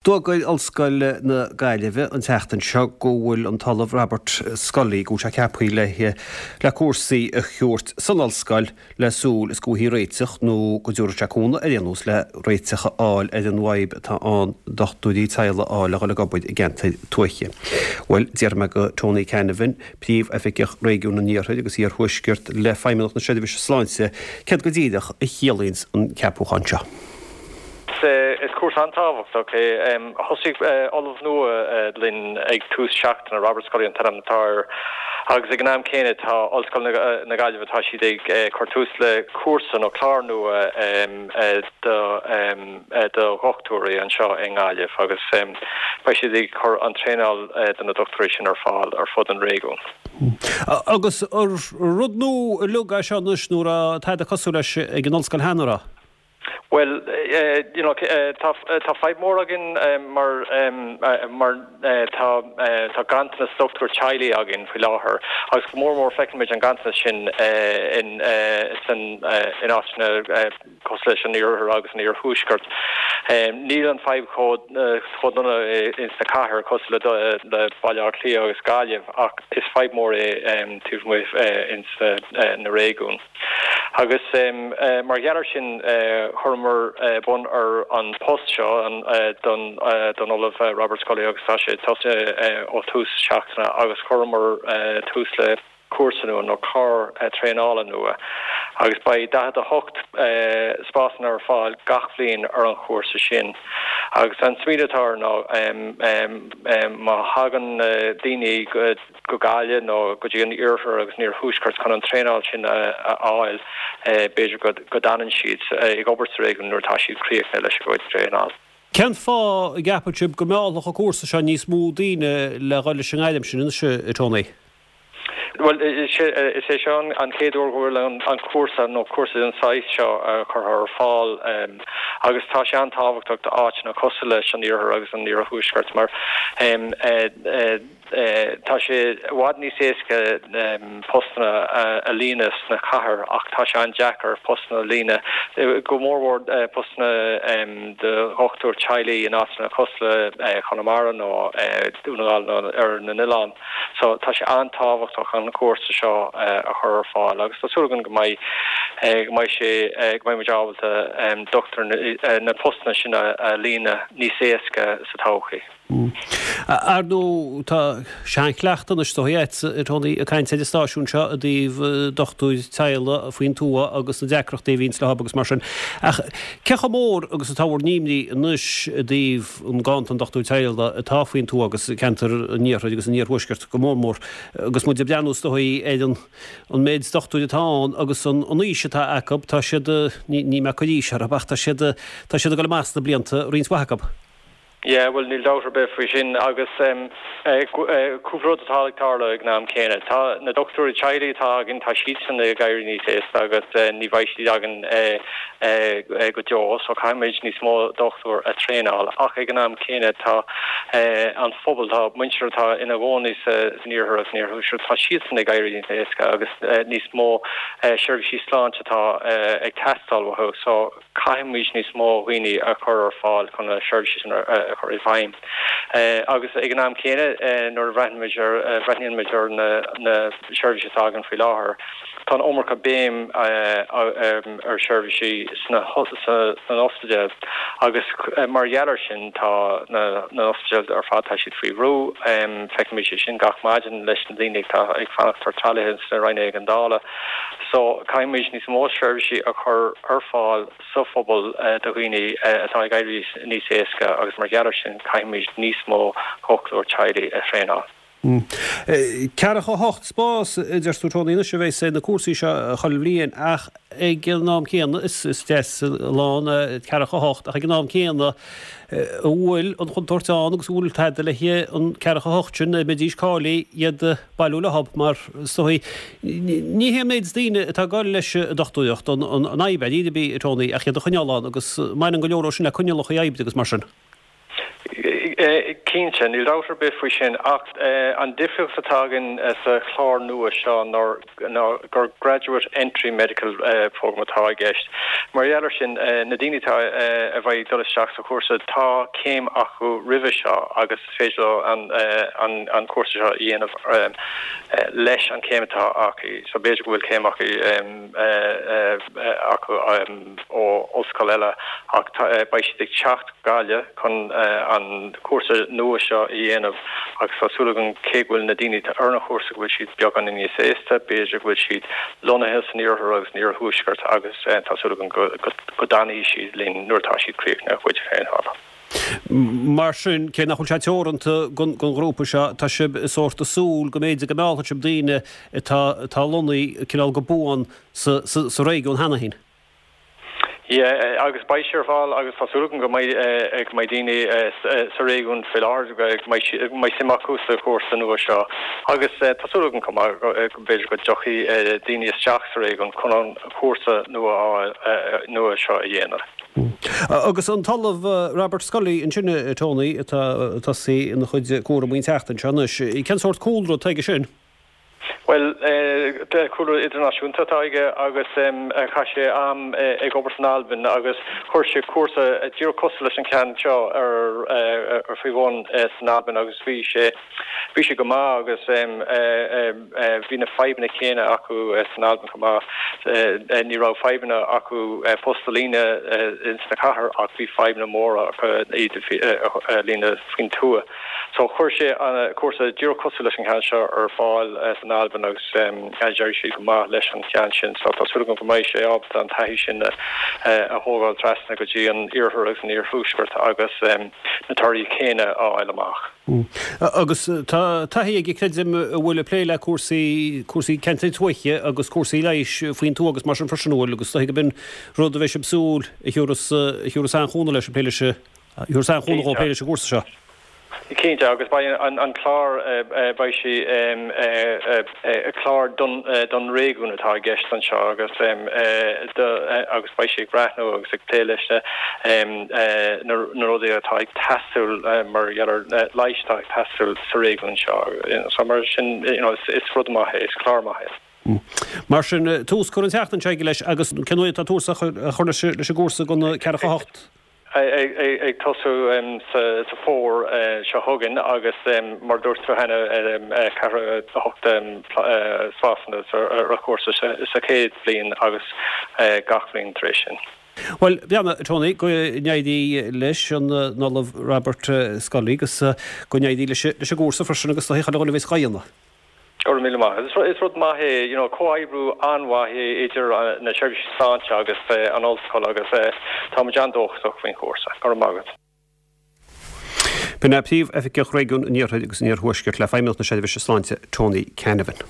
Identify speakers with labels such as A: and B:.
A: D'fhógair Ollscoil na Gaillimhe an tseachtain seo go bhfuil an tOllamh Robert Scully, go bhfuil sé ceaptha le le cúrsaí a thabhairt san ollscoil le súil is go bhfaighfí réiteach nó go dtabharfaidh sé cúnamh ar aon nós le réiteach a fháil ar an bhfadhb atá ann dochtúirí teaghlaigh a fháil le dhul ag obair i gceantair tuaithe. Bhuel, déarfaidh mé go Tony Canavan, Príomhoifigeach Réigiún an Iarthair agus Iarthuaiscirt le Feidhmeannacht na Seirbhíse Sláinte, céard go díreach a chiallaíonns an ceapúchán seo.
B: Is cúrsa an-tábhachtach é. Thosaigh ollamh nua linn ag tús seachtaine, Robert Scully an t-ainm atá air, agus ag an am céanna tá Ollscoil na Gaillimhe, tá siad ag cur tús le cúrsa nó clár nua do dhochtúirí anseo i nGaillimh agus beidh siad ag cur an traenáil do na dochtúirí sin ar fáil ar fud an réigiúin.
A: Agus rud nua uilig é seo anois nó an raibh tada cosúil leis ag an ollscoil cheana, an raibh?
B: Bhuel, you know, tá tá fadhb mór againn mar mar tá tá ganntanas dochtúir teaghlaigh againn faoi láthair agus go mór mór feiceann muid an ganntanas sin in san in áiteanna cosúil leis an iarthar agus an iarthuaisceart. Níl an fadhb chomh chomh dona ins na cathair cosúil le le Baile Átha Cliath agus Gaillimh ach is fadhb mór é taobh amuigh ins na réigiúin. Agus mar gheall air sin chuireamar bun ar an post seo don don Ollamh Robert Scully agus tá sé tosaithe ó tús seachtaine agus chuireamar tús le cúrsa nua nó clár traenála nua agus beidh 48 spásanna ar fáil gach bhliain ar an chúrsa sin. Agus an smaoineamh atá air ná má thagann daoine go go Gaillimh nó go dtí an iarthar agus an iarthuaisceart chun an traenáil sin a fháil, b'fhéidir go d'fhanann siad ag obair sa réigiún nuair atá siad críochnaithe leis a gcuid traenáil.
A: Cén fáth a gceapann sibh go meallfadh an cúrsa seo níos mó daoine le dhul leis an ngairm sin anois, a Tony?
B: Bhuel, is é seo an chéad uair go bhfuil an cúrsa nó cúrsa den saghas seo curtha ar fáil agus tá sé an-tábhachtach d'áiteanna cosúil leis an iarthar agus an iarthuaisceart mar Tá sé i bhfad níos éasca postanna a líonadh sna cathair ach tá sé an-deacair postanna a líonadh, go mórmhór postanna do dhochtúir teaghlaigh in áiteanna cosúil le Conamara nó Dún na nGall nó ar na n-oileán. So tá sé an-tábhachtach an cúrsa seo a chur ar fáil agus tá súil againn go mbeidh go mbeidh sé go mbeidh muid ábalta dochtúir na postanna sin a líonadh níos éasca sa todhchaí.
A: Ar ndóigh, tá seanchleachtadh anois is dóigh agat, a Tony, ag caint ar an stáisiún seo i dtaobh dochtúir teaghlaigh faoin tuath agus na deacrachtaí a bhíonns leo agus mar sin. Ach cé chomh mór agus atá bhur n-imní anois i dtaobh an ganntan dochtúir teaghlaigh atá faoin tuath agus ceantar an iarthair agus an iarthuaiscirt go mór mór agus muid ag breathnú is dóigh ar an an méid dochtúir atá ann agus an aois atá acu, tá siad, ní mé ag cur aois orthu ach tá siad, tá siad ag dul amach sna blianta, roinnt mhaith acu.
B: Yeah, bhuel níl dabht ar bith faoi sin agus cúpla rud atá ag tarlú ag an am céanna. Tá na dochtúirí teaghlaigh atá againn, tá siadsan ag éirí níos aosta agus ní bheidh siad againn go deo so caithfimid níos mó dochtúir a traenáil ach ag an am céanna tá an phobal, tá muintir atá ina gcónaí san iarthar agus san iarthuaisceart, tá siadsan ag éirí níos aosta agus níos mó seirbhísí sláinte atá ag teastáil uathu so Caithfimid níos mó dhaoine a chur ar fáil chun na seirbhísí sin a chur i bhfeidhm. Agus ag an am céanna, nuair a bhreathnaímid ar, bhreathnaíonn muid ar na seirbhísí atá againn faoi láthair, tá an iomarca béim ar sheirbhísí sna hospidéil agus mar gheall air sin tá na hospidéil ar fad, tá siad faoi bhrú. Feicimid é sin gach maidin leis na daoine atá ag fanacht ar tralaithe sna ranna éigeandála. So, caithfimid níos mó seirbhísí a chur ar fáil sa phobal do dhaoine atá ag éirí níos aosta agus mar gheall air sin caithfimid níos mó dhochtúir teaghlaigh a thraenáil.
A: 48 spás, a deir tú Tony, anois a bheas ar na cúrsaí seo chuile bhliain ach ag an am céanna, is deas a lán 48 ach ag an am céanna an bhfuil an chontúirt ann agus an bhfuil tada le an 48 sin, a mbeidís cáilithe iad a bailiú leo mar is dóigh ní hé an méid daoine atá ag dul leis an dochtúireacht an fhadhb ar bith, a Tony, ach iad a choinneáil ann agus baineann go leor ó sin le coinníollacha oibre agus mar sin.
B: Cinnte, níl dabht ar bith faoi sin, ach an difríocht atá againn sa chlár nua seo ná gur Graduate Entry Medical Programme atá i gceist. Mar gheall ar sin, na daoine atá a bheidh ag dul isteach sa chúrsa, tá céim acu roimhe seo agus is féidir leo an cúrsa seo a dhéanamh leis an chéim atá acu. So b'fhéidir go bhfuil céim acu acu ó ollscoil eile ach beidh siad ag teacht Gaillimh chun an cúrsa nua seo a dhéanamh agus tá súil againn cé go bhfuil na daoine atá ar an chúrsa go bhfuil siad beagán níos aosta, b'fhéidir go bhfuil siad lonnaithe san iarthar agus san iarthuaisceart agus tá súil againn go bhfanfaidh siad linn nuair atá siad críochnaithe a gcuid traenála.
A: Mar sin, cé nach bhfuil sé teoranta don ghrúpa seo, tá sibh sórt ag súil go mb'fhéidir go meallfaidh sibh daoine atá atá lonnaithe cineál go buan sa sa réigiún cheana féin.
B: Yeah, agus beidh sé ar fáil agus tá súil agam go mbeidh go mbeidh daoine sa réigiún faoi láthair go mbeidh go mbeidh suim acu sa chúrsa nua seo agus tá súil agam chomh maith go b'fhéidir go dtiocfaidh daoine isteach sa réigiún chun an cúrsa nua nua seo a dhéanamh.
A: Agus an tOllamh Robert Scully ansin, a Tony, atá ag tosaí ina chuid cúraimí an tseachtain seo anois, cén sórt cúlra atá aige sin?
B: Bhuel, cúlra idirnáisiúnta atá aige agus chaith sé am ag obair san Albain agus chuir sé cúrsa díreach cosúil leis an cheann seo ar faoi bhun san Albain agus bhí sé bhí sé go maith agus bhí na fadhbanna céanna acu san Albain chomh maith. Ní raibh fadhbanna acu post a líonadh ins na cathair ach bhí fadhbanna móra acu iad a líonadh faoin tuath. So chuir sé an cúrsa díreach cosúil leis an cheann seo ar fáil san Albain agus d'éirigh siad go maith leis an cheann sin. So tá súil agam go mbeidh sé ábalta an taithí sin a thógáil trasna go dtí an iarthar agus an iarthuaisceart agus na torthaí céanna a fháil amach.
A: Agus tá taithí aige, creidim, a bhfuil ag plé le cúrsaí, cúrsaí ceantair tuaithe agus cúrsaí leighis faoin tuath agus mar sin freisin, an bhfuil? Agus is dóigh gurb in rud a bheidh sibh ag súil a thiúrfas, a thiúrfas an-chúnamh leis ag plé leis an Thiúrfas an-chúnamh dhó plé leis an gcúrsa seo.
B: Cinnte, agus beidh an clár, beidh sé clár don réigiún atá i gceist anseo agus agus beidh sé ag breathnú agus ag plé leis na rudaí atá ag teastáil mar gheall ar leighis atá ag teastáil sa réigiún seo. So mar sin, you know, is rud maith é, is clár maith
A: é. Mar sin, tús curtha an tseachtain seo aige leis agus cén uair atá tús á chur leis an gcúrsa don ceathracha 8?
B: ag tosú sa fómhar seo chugainn agus mar a dúirt tú cheana 48 spásanna ar an chúrsa sa chéad bhliain agus gach bliain tar éis sin.
A: Bhuel, beannacht, Tony, go n-éirí leis an Ollamh Robert Scully agus go n-éirí leis an gcúrsa freisin agus do chuile dhuine a bheas dhá dhéanamh.
B: Go raibh míle maith. Is rud maith é, you know, comhoibriú an-mhaith é idir na seirbhísí sláinte agus an ollscoil agus tá muid an-dóchasach faoin chúrsa. Go raibh maith agat.
A: B'in é Príomh-Oifigeach Réigiún an Iarthair agus an Iarthuaiscirt le Feidhmeannacht na Seirbhíse Sláinte, Tony Canavan.